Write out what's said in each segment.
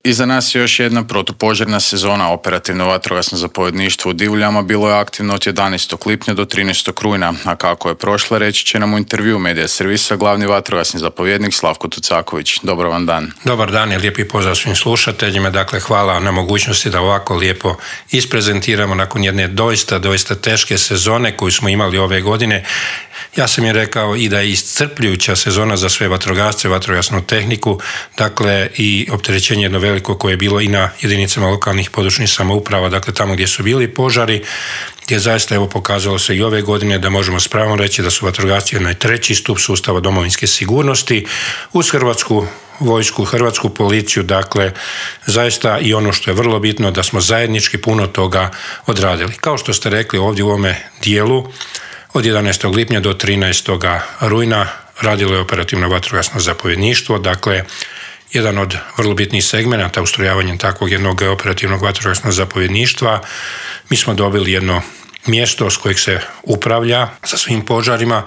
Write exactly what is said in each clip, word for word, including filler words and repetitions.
Iza nas je još jedna protupožarna sezona. Operativno vatrogasno zapovjedništvo u Divuljama bilo je aktivno od jedanaestog lipnja do trinaestog rujna, a kako je prošla reći će nam u intervju Medija servisa glavni vatrogasni zapovjednik Slavko Tucaković. Dobar vam dan. Dobar dan i lijepi pozdrav svim slušateljima. Dakle, hvala na mogućnosti da ovako lijepo isprezentiramo nakon jedne doista, doista teške sezone koju smo imali ove godine. Ja sam je rekao i da je iscrpljujuća sezona za sve vatrogasce, vatrogasnu tehniku, dakle i opterećenje jedno veliko koje je bilo i na jedinicama lokalnih područnih samouprava, dakle tamo gdje su bili požari, gdje zaista evo pokazalo se i ove godine da možemo s pravom reći da su vatrogasci onaj treći stup sustava domovinske sigurnosti uz Hrvatsku vojsku, Hrvatsku policiju, dakle zaista i ono što je vrlo bitno da smo zajednički puno toga odradili. Kao što ste rekli ovdje u ovome dijelu, od jedanaestog lipnja do trinaestog rujna radilo je operativno vatrogasno zapovjedništvo, dakle jedan od vrlo bitnih segmenata ustrojavanjem takvog jednog operativnog vatrogasnog zapovjedništva. Mi smo dobili jedno mjesto s kojeg se upravlja sa svim požarima,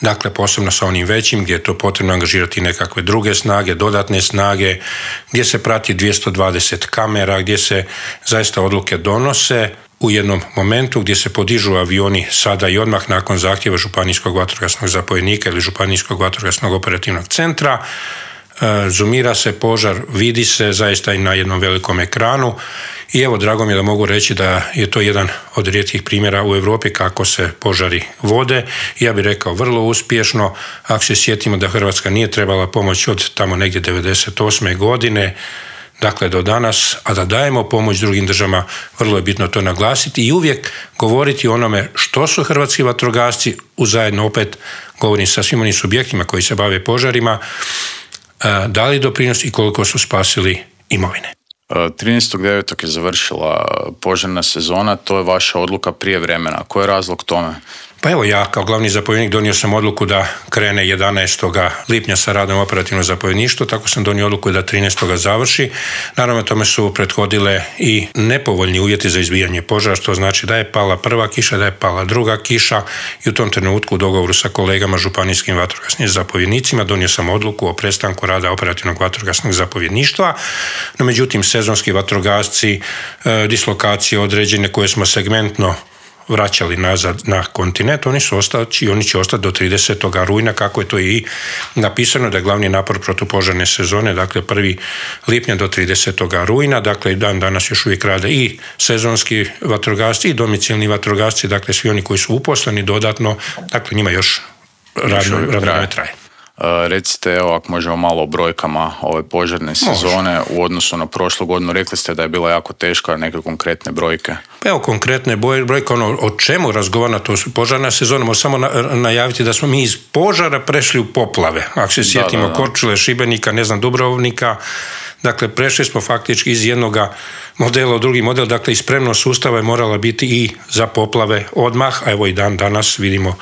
dakle posebno sa onim većim gdje je to potrebno angažirati nekakve druge snage, dodatne snage, gdje se prati dvjesto dvadeset kamera, gdje se zaista odluke donose u jednom momentu gdje se podižu avioni sada i odmah nakon zahtjeva županijskog vatrogasnog zapovjednika ili županijskog vatrogasnog operativnog centra. Zoomira se požar, vidi se zaista i na jednom velikom ekranu i evo drago mi je da mogu reći da je to jedan od rijetkih primjera u Europi kako se požari vode. Ja bih rekao vrlo uspješno, ako se sjetimo da Hrvatska nije trebala pomoć od tamo negdje devedeset osme godine, dakle do danas, a da dajemo pomoć drugim državama, vrlo je bitno to naglasiti i uvijek govoriti o onome što su hrvatski vatrogasci, uzajedno opet govorim sa svim onim subjektima koji se bave požarima, dali doprinos i koliko su spasili imovine. trinaestog devetog je završila požarna sezona, to je vaša odluka prije vremena. Koji je razlog tome? Pa evo ja kao glavni zapovjednik donio sam odluku da krene jedanaestog lipnja sa radom operativno zapovjedništvo, tako sam donio odluku da trinaestog završi. Naravno tome su prethodile i nepovoljni uvjeti za izbijanje požara, što znači da je pala prva kiša, da je pala druga kiša i u tom trenutku u dogovoru sa kolegama županijskim vatrogasnim zapovjednicima donio sam odluku o prestanku rada operativnog vatrogasnog zapovjedništva. No međutim sezonski vatrogasci, dislokacije određene koje smo segmentno vraćali nazad na kontinent, oni su ostati i oni će ostati do tridesetog rujna, kako je to i napisano da je glavni napor protupožarne sezone, dakle prvi lipnja do tridesetog rujna, dakle i dan danas još uvijek rade i sezonski vatrogasci i domicilni vatrogasci, dakle svi oni koji su uposleni dodatno, dakle njima još radno vrijeme traje. Uh, recite, evo, ako možemo malo o brojkama ove požarne sezone Može. U odnosu na prošlu godinu. Rekli ste da je bila jako teška, neke konkretne brojke. Pa evo, konkretne brojke, ono o čemu razgovara to su požarna sezona, možemo samo na, najaviti da smo mi iz požara prešli u poplave. Ako se sjetimo da, da, da. Korčule, Šibenika, ne znam, Dubrovnika, dakle prešli smo faktički iz jednoga modela u drugi model, dakle i spremnost sustava je morala biti i za poplave odmah, a evo i dan danas vidimo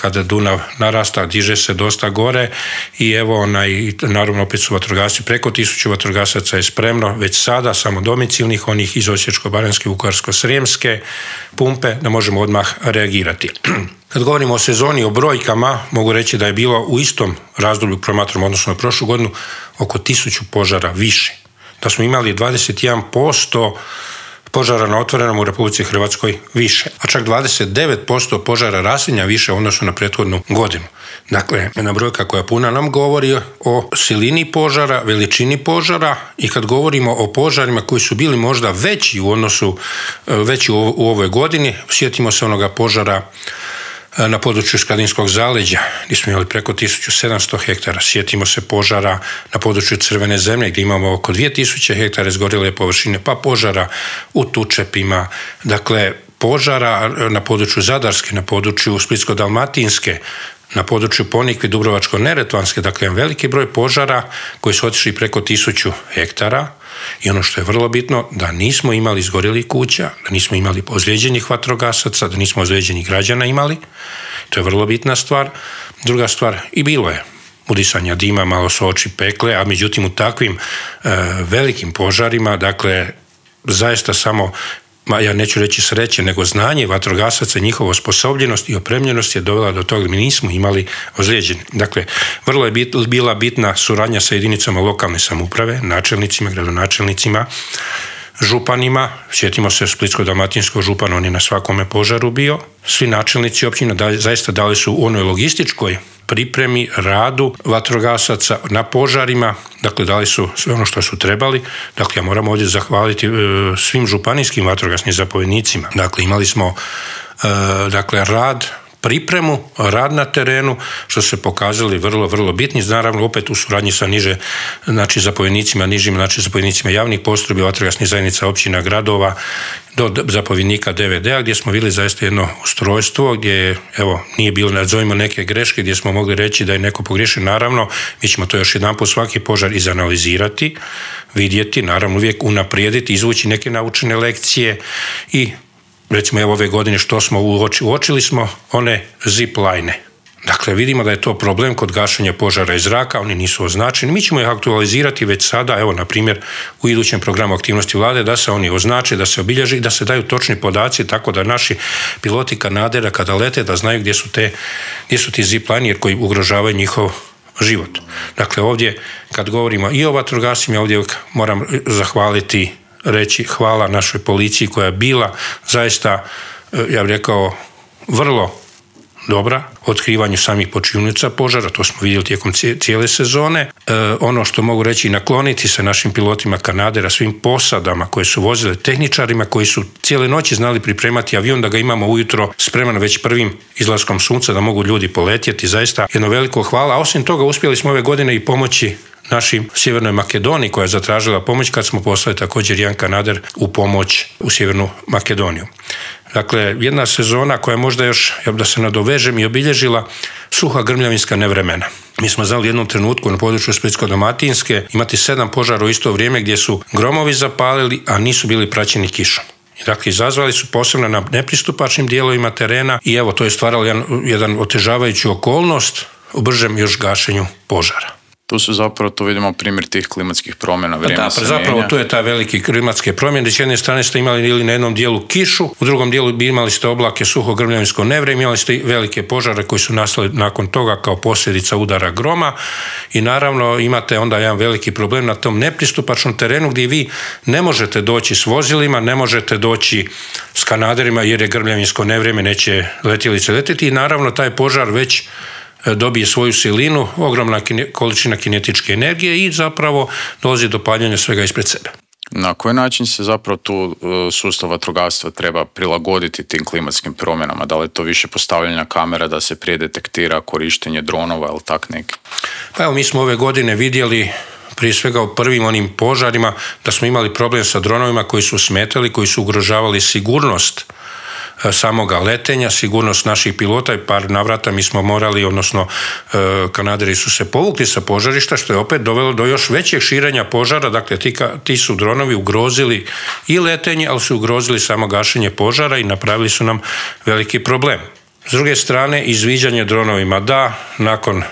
kada Dunav narasta, diže se dosta gore i evo onaj, naravno opet su vatrogasci, preko tisuću vatrogasaca je spremno, već sada samo domicilnih, onih iz Osječko-baranjske, Vukovarsko-srijemske pumpe, da možemo odmah reagirati. Kad govorimo o sezoni, o brojkama, mogu reći da je bilo u istom razdoblju promatramo odnosno na prošlu godinu oko tisuću požara više. Da smo imali dvadeset jedan posto požara na otvorenom u Republici Hrvatskoj više, a čak dvadeset devet posto požara raslinja više u odnosu na prethodnu godinu. Dakle, jedna brojka koja puna nam govori o silini požara, veličini požara i kad govorimo o požarima koji su bili možda veći u odnosu, veći u, u ovoj godini, sjetimo se onoga požara na području Skradinskog zaleđa gdje smo imali preko tisuću sedamsto hektara. Sjetimo se požara na području Crvene zemlje gdje imamo oko dvije tisuće hektara izgorjele površine, pa požara u Tučepima, dakle požara na području Zadarske, na području Splitsko-dalmatinske, na području Ponikve, Dubrovačko-neretvanske, dakle jedan veliki broj požara koji su otišli preko tisuću hektara. I ono što je vrlo bitno, da nismo imali izgorjelih kuća, da nismo imali ozlijeđenih vatrogasaca, da nismo ozlijeđenih građana imali. To je vrlo bitna stvar. Druga stvar, i bilo je udisanja dima, malo su oči pekle, a međutim u takvim e, velikim požarima, dakle, zaista samo ma ja neću reći sreće, nego znanje vatrogasaca, njihova osposobljenost i opremljenost je dovela do toga da mi nismo imali ozlijeđeni. Dakle, vrlo je bit, bila bitna suradnja sa jedinicama lokalne samouprave, načelnicima, gradonačelnicima, županima. Sjetimo se Splitsko-dalmatinskog župana, on je na svakome požaru bio. Svi načelnici općina da, zaista dali su u onoj logističkoj pripremi, radu vatrogasaca na požarima, dakle dali su sve ono što su trebali. Dakle, ja moram ovdje zahvaliti e, svim županijskim vatrogasnim zapovjednicima. Dakle, imali smo e, dakle, rad, pripremu, rad na terenu, što se pokazali vrlo, vrlo bitni, naravno opet u suradnji sa niže, znači zapovjednicima, nižim, znači zapovjednicima javnih postrojbi, vatrogasnih zajednica, općina, gradova, do zapovjednika D V D-a, gdje smo vidjeli zaista jedno ustrojstvo, gdje evo, nije bilo, nazovimo neke greške, gdje smo mogli reći da je neko pogriješio. Naravno, mi ćemo to još jedanput svaki požar izanalizirati, vidjeti, naravno uvijek unaprijediti, izvući neke naučene lekcije i recimo evo ove godine što smo uočili, uočili smo one zip line. Dakle, vidimo da je to problem kod gašenja požara iz zraka, oni nisu označeni. Mi ćemo ih aktualizirati već sada, evo na primjer u idućem programu aktivnosti vlade, da se oni označe, da se obilježi i da se daju točni podaci tako da naši piloti kanadera kada lete da znaju gdje su, te, gdje su ti zip line koji ugrožavaju njihov život. Dakle, ovdje kad govorimo i o vatrogasima, ovdje moram zahvaliti reći hvala našoj policiji koja je bila zaista, ja bih rekao, vrlo dobra u otkrivanju samih počinionica požara, to smo vidjeli tijekom cijele sezone. E, ono što mogu reći, nakloniti se našim pilotima kanadera, svim posadama koje su vozile, tehničarima koji su cijele noći znali pripremati avion da ga imamo ujutro spreman već prvim izlaskom sunca da mogu ljudi poletjeti. Zaista jedno veliko hvala. A osim toga uspjeli smo ove godine i pomoći našim Sjevernoj Makedoniji koja je zatražila pomoć kad smo poslali također jedan kanader u pomoć u Sjevernu Makedoniju. Dakle, jedna sezona koja je možda još, ja da se nadovežem, i obilježila suha grmljavinska nevremena. Mi smo znali u jednom trenutku na području Splitsko-dalmatinske imati sedam požara u isto vrijeme gdje su gromovi zapalili, a nisu bili praćeni kišom. Dakle, izazvali su posebno na nepristupačnim dijelovima terena i evo, to je stvaralo jedan, jedan otežavajuću okolnost u bržem još gašenju požara. Tu su zapravo, tu vidimo primjer tih klimatskih promjena. Vrijeme da, se zapravo mijenja. tu je ta velike klimatske promjene. S jedne strane ste imali ili na jednom dijelu kišu, u drugom dijelu bi imali ste oblake suho grmljavinsko nevrijeme, imali ste velike požare koji su nastali nakon toga kao posljedica udara groma i naravno imate onda jedan veliki problem na tom nepristupačnom terenu gdje vi ne možete doći s vozilima, ne možete doći s kanaderima jer je grmljavinsko nevrijeme, neće letjelice letjeti i naravno taj požar već dobije svoju silinu, ogromna količina kinetičke energije i zapravo dolazi do paljenja svega ispred sebe. Na koji način se zapravo tu sustav vatrogastva treba prilagoditi tim klimatskim promjenama? Da li je to više postavljanja kamera da se prije detektira korištenje dronova ili tak neki? Pa evo, mi smo ove godine vidjeli prije svega u prvim onim požarima da smo imali problem sa dronovima koji su smetali, koji su ugrožavali sigurnost samoga letenja, sigurnost naših pilota i par navrata mi smo morali, odnosno kanaderi su se povukli sa požarišta, što je opet dovelo do još većeg širenja požara. Dakle, ti, ti su dronovi ugrozili i letenje, ali su ugrozili samo gašenje požara i napravili su nam veliki problem. S druge strane, izviđanje dronovima, da, nakon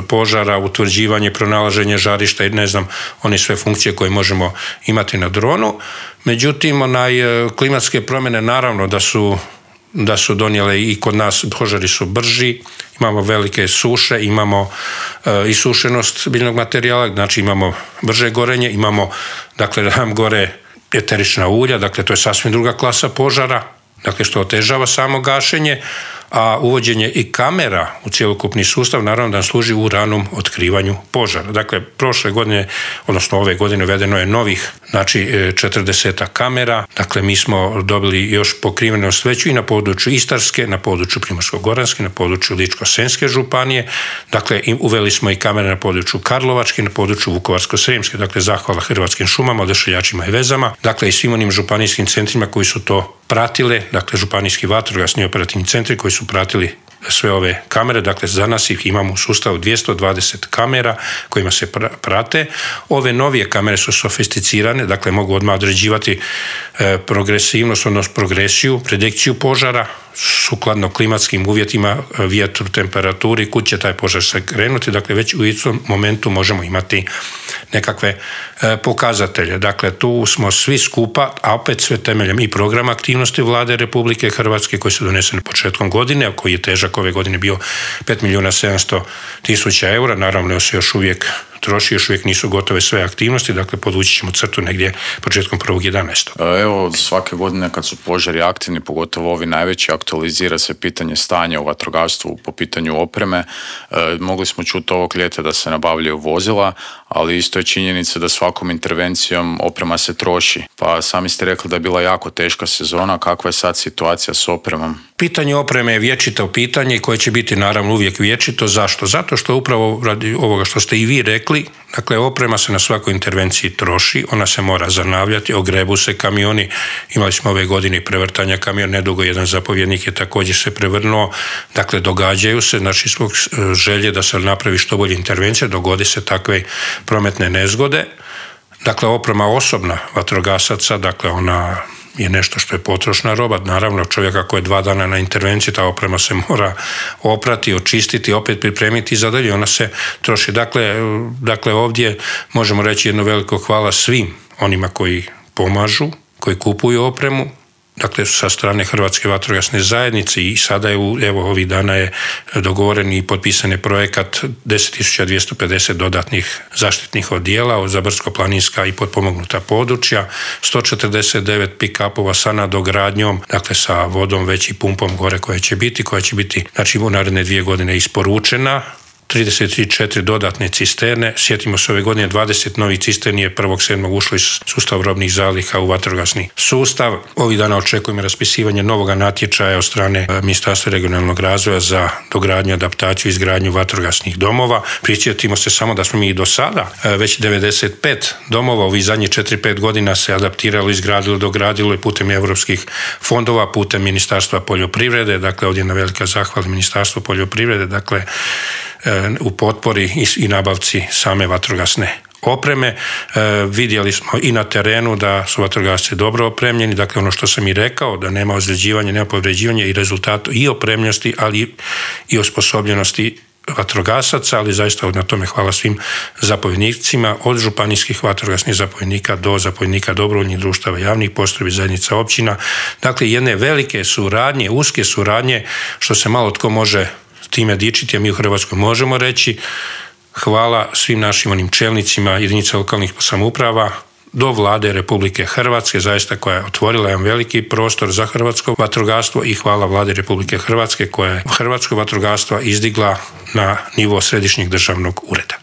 požara, utvrđivanje, pronalaženje žarišta i ne znam, one sve funkcije koje možemo imati na dronu. Međutim, onaj, klimatske promjene naravno da su, da su donijele i kod nas, požari su brži, imamo velike suše, imamo e, isušenost biljnog materijala, znači imamo brže gorenje, imamo, dakle, nam gore eterična ulja, dakle, to je sasvim druga klasa požara, dakle, što otežava samo gašenje, a uvođenje i kamera u cjelokupni sustav naravno da nam služi u ranom otkrivanju požara. Dakle, prošle godine, odnosno ove godine uvedeno je novih, znači četrdeset kamera, dakle mi smo dobili još pokrivenost veću i na području Istarske, na području Primorsko-goranske, na području Ličko-senjske županije, dakle uveli smo i kamere na području Karlovačke, na području Vukovarsko-srijemske, dakle zahvala Hrvatskim šumama, odašiljačima i vezama, dakle i svim onim županijskim centrima koji su to pratile, dakle županijski vatrogasni operativni centri koji su pratili sve ove kamere, dakle za nas ih imamo u sustavu dvjesto dvadeset kamera kojima se prate. Ove novije kamere su sofisticirane, dakle mogu odmah određivati progresivnost, odnosno progresiju, predikciju požara, sukladno klimatskim uvjetima, vjetru, temperaturi, kud će taj požar se krenuti, dakle već u istom momentu možemo imati nekakve pokazatelje. Dakle, tu smo svi skupa, a opet sve temeljem i programa aktivnosti Vlade Republike Hrvatske koji su doneseni početkom godine, a koji je težak ove godine bio pet milijuna sedamsto tisuća eura, naravno se još uvijek troši, još uvijek nisu gotove sve aktivnosti, dakle podvući ćemo crtu negdje početkom prvog jedanaestog. Evo, svake godine kad su požari aktivni, pogotovo ovi najveći, aktualizira se pitanje stanja u vatrogastvu po pitanju opreme. E, mogli smo čuti ovog ljeta da se nabavljaju vozila, ali isto je činjenica da svakom intervencijom oprema se troši. Pa sami ste rekli da je bila jako teška sezona, kakva je sad situacija s opremom? Pitanje opreme je vječito pitanje koje će biti naravno uvijek vječito. Zašto? Zato što upravo radi ovoga što ste i vi rekli, dakle oprema se na svakoj intervenciji troši, ona se mora zanavljati, ogrebu se kamioni, imali smo ove godine prevrtanja kamiona, nedugo jedan zapovjednik je također se prevrnuo, dakle događaju se, znači zbog želje da se napravi što bolje intervencija, dogodi se takve prometne nezgode. Dakle, oprema osobna vatrogasaca, dakle ona je nešto što je potrošna roba. Naravno, čovjek ako je dva dana na intervenciji, ta oprema se mora oprati, očistiti, opet pripremiti i zadalje, ona se troši. Dakle, dakle, ovdje možemo reći jedno veliko hvala svim onima koji pomažu, koji kupuju opremu, dakle sa strane Hrvatske vatrogasne zajednice i sada je, evo ovih dana je dogovoren i potpisan je projekat deset tisuća dvjesto pedeset dodatnih zaštitnih odijela za brdsko-planinska i potpomognuta područja, sto četrdeset devet pick-upova sa nadogradnjom, dakle sa vodom već i pumpom gore koja će biti, koja će biti znači u naredne dvije godine isporučena, trideset četiri dodatne cisterne, sjetimo se ove godine dvadeset novih cisterni je prvog sedmog ušlo iz sustava robnih zaliha u vatrogasni sustav. Ovih dana očekujemo raspisivanje novog natječaja od strane Ministarstva regionalnog razvoja za dogradnju, adaptaciju i izgradnju vatrogasnih domova. Prisjetimo se samo da smo mi i do sada već devedeset pet domova ovih zadnjih četiri pet godina se adaptiralo, izgradilo, dogradilo i putem europskih fondova, putem Ministarstva poljoprivrede, dakle ovdje na velika zahvala Ministarstvu poljoprivrede, dakle u potpori i nabavci same vatrogasne opreme. E, vidjeli smo i na terenu da su vatrogasci dobro opremljeni, dakle ono što sam i rekao, da nema ozljeđivanja, nema povređivanja i rezultatu i opremljenosti, ali i osposobljenosti vatrogasaca, ali zaista na tome hvala svim zapovjednicima, od županijskih vatrogasnih zapovjednika do zapovjednika dobrovoljnih društava, javnih postrojbi, zajednica općina. Dakle, jedne velike suradnje, uske suradnje, što se malo tko može time dičiti, a mi u Hrvatskoj možemo reći hvala svim našim onim čelnicima jedinica lokalnih samouprava do Vlade Republike Hrvatske, zaista koja je otvorila jedan veliki prostor za hrvatsko vatrogastvo i hvala Vlade Republike Hrvatske koja je hrvatsko vatrogastvo izdigla na nivo središnjeg državnog ureda.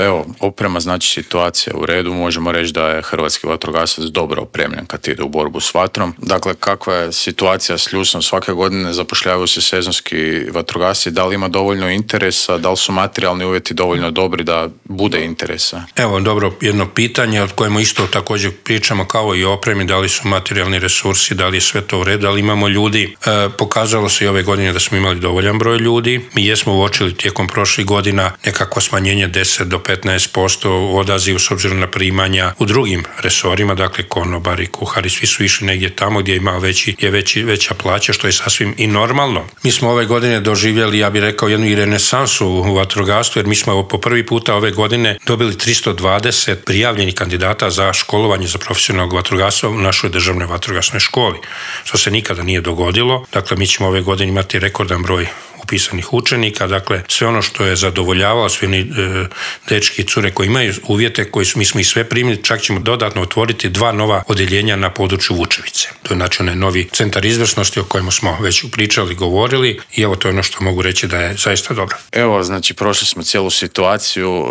Evo, oprema znači situacija u redu, možemo reći da je hrvatski vatrogasac dobro opremljen kad ide u borbu s vatrom. Dakle, kakva je situacija s ljusom? Svake godine zapošljavaju se sezonski vatrogasci, da li ima dovoljno interesa, da li su materijalni uvjeti dovoljno dobri da bude interesa? Evo, dobro, jedno pitanje od kojemu isto također pričamo kao i opremi, da li su materijalni resursi, da li je sve to u redu, da li imamo ljudi. E, pokazalo se i ove godine da smo imali dovoljan broj ljudi. Mi jesmo uočili tijekom prošlih godina nekako smanjenje deset do petnaest posto odaziv s obzirom na primanja u drugim resorima, dakle konobari, kuhari, svi su išli negdje tamo gdje ima veći, je veći, veća plaća, što je sasvim i normalno. Mi smo ove godine doživjeli, ja bih rekao, jednu i renesansu u vatrogastvu, jer mi smo po prvi puta ove godine dobili tristo dvadeset prijavljenih kandidata za školovanje za profesionalnog vatrogastva u našoj državnoj vatrogasnoj školi, što se nikada nije dogodilo. Dakle, mi ćemo ove godine imati rekordan broj upisanih učenika, dakle sve ono što je zadovoljavalo, svi oni e, dečki i cure koji imaju uvjete, koji su, mi smo i sve primili, čak ćemo dodatno otvoriti dva nova odjeljenja na području Vučevice. To je znači onaj novi centar izvrsnosti o kojemu smo već pričali, govorili i evo to je ono što mogu reći da je zaista dobro. Evo, znači prošli smo cijelu situaciju,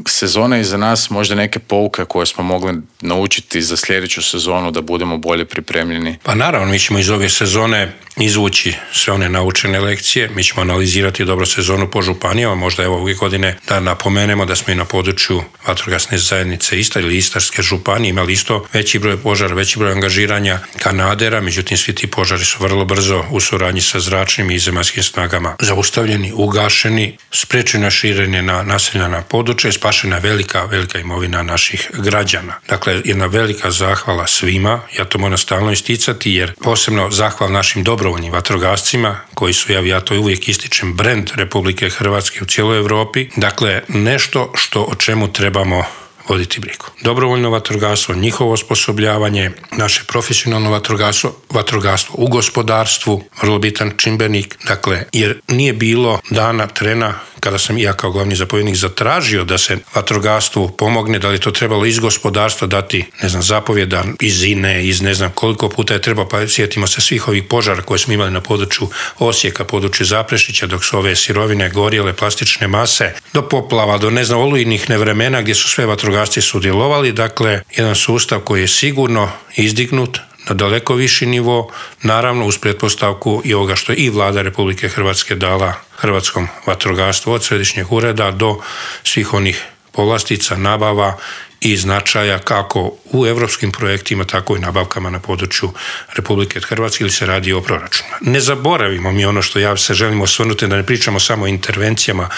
sezona iza nas, možda neke pouke koje smo mogli naučiti za sljedeću sezonu da budemo bolje pripremljeni. Pa naravno, mi ćemo iz ove sezone izvući sve one naučene lekcije, mi ćemo ćemo analizirati dobro sezonu po županijama, možda evo ove godine da napomenemo da smo i na području vatrogasne zajednice Istar ili Istarske županije imali isto veći broj požara, veći broj angažiranja kanadera, međutim svi ti požari su vrlo brzo u suradnji sa zračnim i zemaljskim snagama zaustavljeni, ugašeni, sprečeno širenje na naseljena područja i spašena velika, velika imovina naših građana. Dakle, jedna velika zahvala svima, ja to moram stalno isticati jer posebno zahval našim dobrovoljnim vatrogascima koji su, ja, ja to uvijek ističem, brend Republike Hrvatske u cijeloj Europi. Dakle, nešto što o čemu trebamo voditi brigu. Dobrovoljno vatrogastvo, njihovo osposobljavanje, naše profesionalno vatrogastvo, vatrogastvo u gospodarstvu, vrlo bitan čimbenik, dakle, jer nije bilo dana, trena kada sam ja kao glavni zapovjednik zatražio da se vatrogastvu pomogne, da li to trebalo iz gospodarstva dati, ne znam, zapovjeda iz I N E, iz ne znam koliko puta je trebao, pa sjetimo se svih ovih požara koje smo imali na području Osijeka, području Zaprešića, dok su ove sirovine gorjele, plastične mase, do poplava, do ne znam, olujnih nevremena gdje su sve vatrogasci sudjelovali, dakle, jedan sustav koji je sigurno izdignut na daleko viši nivo, naravno uz pretpostavku i ovoga što je i Vlada Republike Hrvatske dala hrvatskom vatrogastvu od središnjeg ureda do svih onih povlastica, nabava i značaja kako u europskim projektima, tako i nabavkama na području Republike Hrvatske ili se radi o proračunu. Ne zaboravimo mi ono što ja se želim osvrnuti, da ne pričamo samo o intervencijama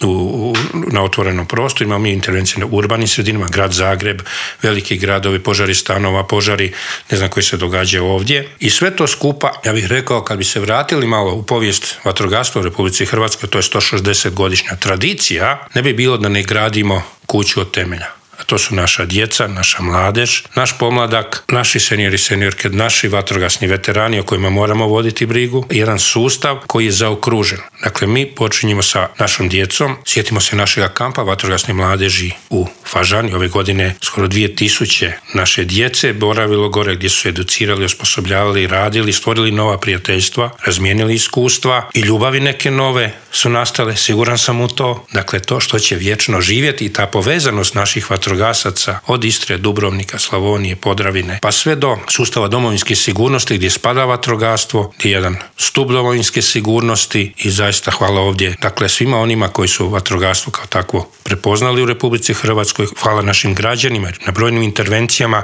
u, u, na otvorenom prostoru, imamo mi intervencije na urbanim sredinama, grad Zagreb, veliki gradovi, požari stanova, požari, ne znam koji se događaju ovdje. I sve to skupa, ja bih rekao, kad bi se vratili malo u povijest vatrogastva u Republici Hrvatskoj, to je sto šezdeset godišnja tradicija, ne bi bilo da ne gradimo kuću od temelja. A to su naša djeca, naša mladež, naš pomladak, naši seniori, seniorke, naši vatrogasni veterani o kojima moramo voditi brigu. Jedan sustav koji je zaokružen. Dakle, mi počinjemo sa našom djecom. Sjetimo se našega kampa vatrogasne mladeži u Fažani. Ove godine skoro dvije tisuće naše djece boravilo gore gdje su educirali, osposobljavali, radili, stvorili nova prijateljstva, razmijenili iskustva i ljubavi neke nove su nastale. Siguran sam u to. Dakle, to što će vječno živjeti i ta povezanost naših vatrogasaca od Istre, Dubrovnika, Slavonije, Podravine, pa sve do sustava domovinske sigurnosti gdje spada vatrogastvo, gdje je jedan stup domovinske sigurnosti i zaista hvala ovdje, dakle, svima onima koji su vatrogastvo kao takvo prepoznali u Republici Hrvatskoj, hvala našim građanima na brojnim intervencijama.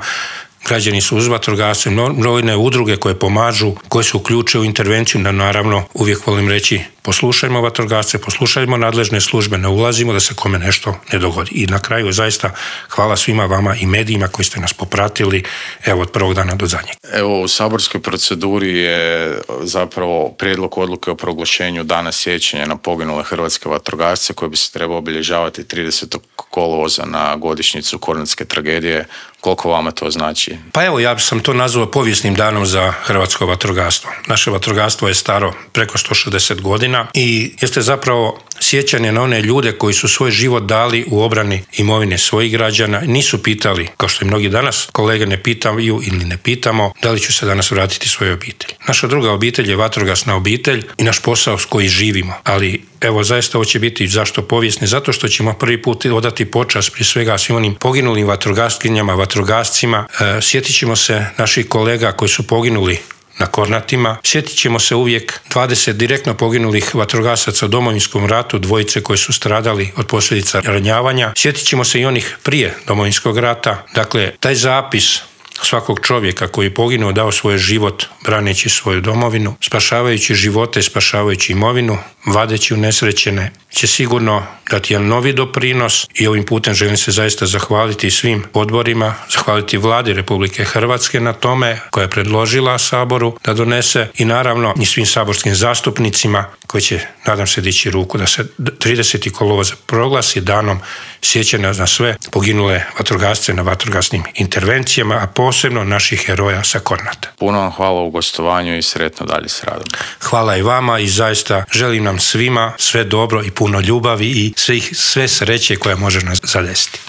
Građani su uz vatrogasce, brojne udruge koje pomažu, koje se uključuju u intervenciju, da naravno uvijek volim reći poslušajmo vatrogasce, poslušajmo nadležne službe, ne ulazimo da se kome nešto ne dogodi. I na kraju zaista hvala svima vama i medijima koji ste nas popratili evo od prvog dana do zadnjeg. Evo u saborskoj proceduri je zapravo prijedlog odluke o proglašenju dana sjećanja na poginule hrvatske vatrogasce koji bi se trebao obilježavati tridesetog kolovoza na godišnjicu Kornatske tragedije. Koliko vama to znači? Pa evo, ja sam to nazvao povijesnim danom za hrvatsko vatrogastvo. Naše vatrogastvo je staro preko sto šezdeset godina i jeste zapravo sjećanje na one ljude koji su svoj život dali u obrani imovine svojih građana. Nisu pitali, kao što i mnogi danas kolege ne pitaju ili ne pitamo, da li ću se danas vratiti svojoj obitelji. Naša druga obitelj je vatrogasna obitelj i naš posao s koji živimo. Ali evo, zaista ovo će biti zašto povijesni? Zato što ćemo prvi put odati počast prije svega svim onim poginulim vatrogaskinjama, vatrogascima. E, sjetit ćemo se naših kolega koji su poginuli na Kornatima. Sjetit ćemo se uvijek dvadeset direktno poginulih vatrogasaca u Domovinskom ratu, dvojice koji su stradali od posljedica ranjavanja. Sjetit ćemo se i onih prije Domovinskog rata. Dakle, taj zapis svakog čovjeka koji je poginuo, dao svoj život braneći svoju domovinu, spašavajući živote, spašavajući imovinu, vadeći unesrećene, će sigurno dati jedan novi doprinos i ovim putem želim se zaista zahvaliti svim odborima, zahvaliti Vladi Republike Hrvatske na tome koja je predložila Saboru da donese i naravno i svim saborskim zastupnicima koji će, nadam se, dići ruku da se tridesetog kolovoza proglasi danom sjećanja na sve poginule vatrogasce na vatrogasnim intervencijama, a posebno naših heroja sa Kornata. Puno vam hvala u gostovanju i sretno dalje s radom. Hvala i vama i zaista želim nam svima sve dobro i puno ljubavi i svih, sve sreće koja može nas zadesiti.